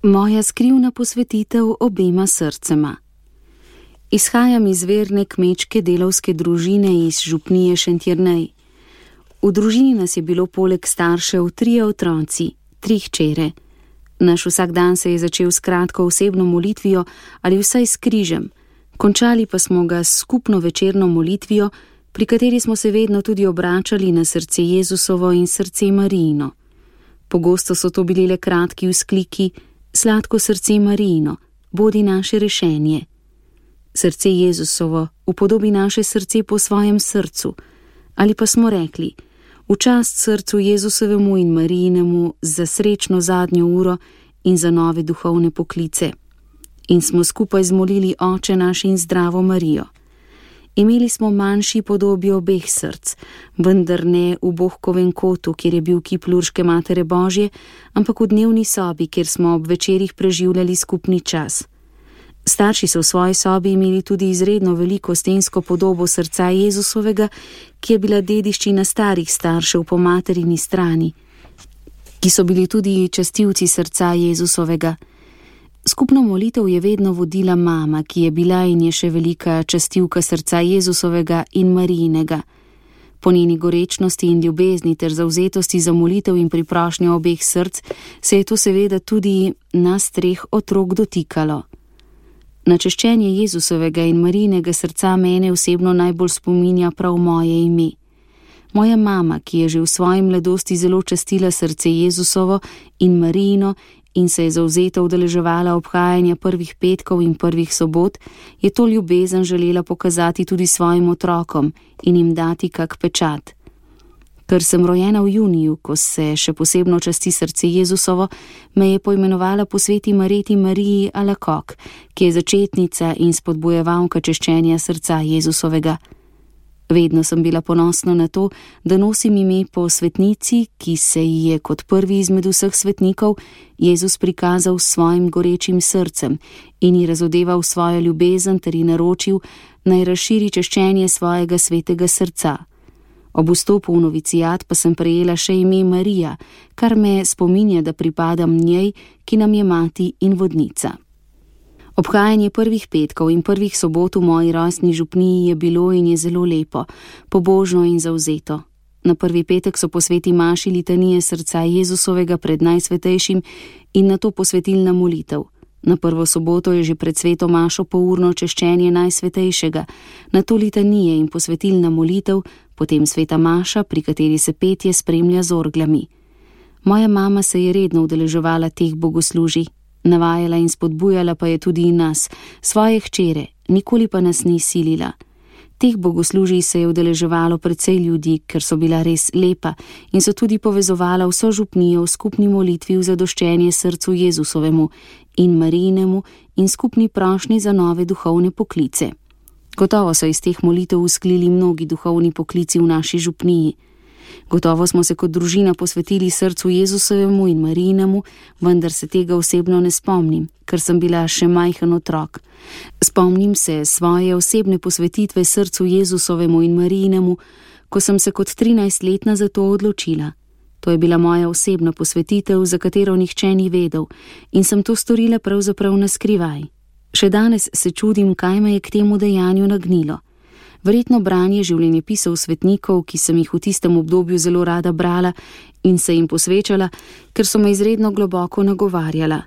Moja skrivna posvetitev obema srcema. Izhajam iz verne kmečke delavske družine iz župnije Šentjernej. V družini nas je bilo poleg staršev 3 otroci, 3 hčere. Naš vsakdan se je začel s kratko osebno molitvijo ali vsaj s križem. Končali pa smo ga s skupno večerno molitvijo, pri kateri smo se vedno tudi obračali na srce Jezusovo in srce Marijino. Pogosto so to bili le kratki vzkliki: sladko srce Marijino, bodi naše rešenje. Srce Jezusovo upodobi naše srce po svojem srcu. Ali pa smo rekli: v čast srcu Jezusovemu in Marijinemu za srečno zadnjo uro in za nove duhovne poklice. In smo skupaj zmolili Oče naš in Zdravo Marijo. Imeli smo manjši podobi obeh src, vendar ne v Bohkovem kotu, kjer je bil kip Lurške Matere Božje, ampak v dnevni sobi, kjer smo ob večerih preživljali skupni čas. Starši so v svoji sobi imeli tudi izredno veliko stensko podobo srca Jezusovega, ki je bila dediščina starih staršev po materini strani, ki so bili tudi častilci srca Jezusovega. Skupno molitev je vedno vodila mama, ki je bila in je še velika častilka srca Jezusovega in Marijinega. Po njeni gorečnosti in ljubezni ter zavzetosti za molitev in priprošnjo obeh src se je to seveda tudi nas 3 otrok dotikalo. Na češčenje Jezusovega in Marijinega srca mene osebno najbolj spominja prav moje ime. Moja mama, ki je že v svoji mladosti zelo častila srce Jezusovo in Marijino in se je zavzeto udeleževala obhajanja prvih petkov in prvih sobot, je to ljubezen želela pokazati tudi svojim otrokom in jim dati kak pečat. Ker sem rojena v juniju, ko se še posebno časti srce Jezusovo, me je poimenovala po sveti Mareti Mariji Alakok, ki je začetnica in spodbujevalka češčenja srca Jezusovega. Vedno sem bila ponosna na to, da nosim ime po svetnici, ki se ji je kot prvi izmed vseh svetnikov Jezus prikazal s svojim gorečim srcem in ji razodeval svojo ljubezen ter ji naročil, naj razširi češčenje svojega svetega srca. Ob vstopu v novicijat pa sem prejela še ime Marija, kar me spominja, da pripadam njej, ki nam je mati in vodnica. Obhajanje prvih petkov in prvih sobot v moji rojstni župniji je bilo in je zelo lepo, pobožno in zavzeto. Na prvi petek so po sveti maši litanije srca Jezusovega pred najsvetejšim in nato posvetilna molitev. Na prvo soboto je že pred sveto mašo pourno češčenje najsvetejšega, nato litanije in posvetilna molitev, potem sveta maša, pri kateri se petje spremlja z orglami. Moja mama se je redno udeleževala teh bogoslužij, navajala in spodbujala pa je tudi nas, svoje hčere, nikoli pa nas ni silila. Teh bogoslužij se je udeleževalo precej ljudi, ker so bila res lepa in so tudi povezovala vso župnijo v skupni molitvi v zadoščenje srcu Jezusovemu in Marijinemu in skupni prošnji za nove duhovne poklice. Gotovo so iz teh molitev usklili mnogi duhovni poklici v naši župniji. Gotovo smo se kot družina posvetili srcu Jezusovemu in Marijinemu, vendar se tega osebno ne spomnim, ker sem bila še majhen otrok. Spomnim se svoje osebne posvetitve srcu Jezusovemu in Marijinemu, ko sem se kot 13-letna za to odločila. To je bila moja osebna posvetitev, za katero nihče ni vedel, in sem to storila pravzaprav na skrivaj. Še danes se čudim, kaj me je k temu dejanju nagnilo. Verjetno branje življenjepisov svetnikov, ki sem jih v tistem obdobju zelo rada brala in se jim posvečala, ker so me izredno globoko nagovarjala.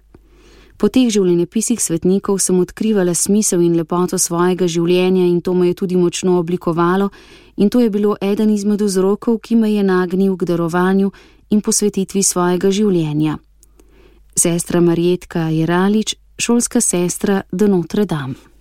Po teh življenjepisih svetnikov sem odkrivala smisel in lepoto svojega življenja in to me je tudi močno oblikovalo in to je bilo eden izmed vzrokov, ki me je nagnil k darovanju in posvetitvi svojega življenja. Sestra Marjetka Jeralič, šolska sestra de Notre Dame.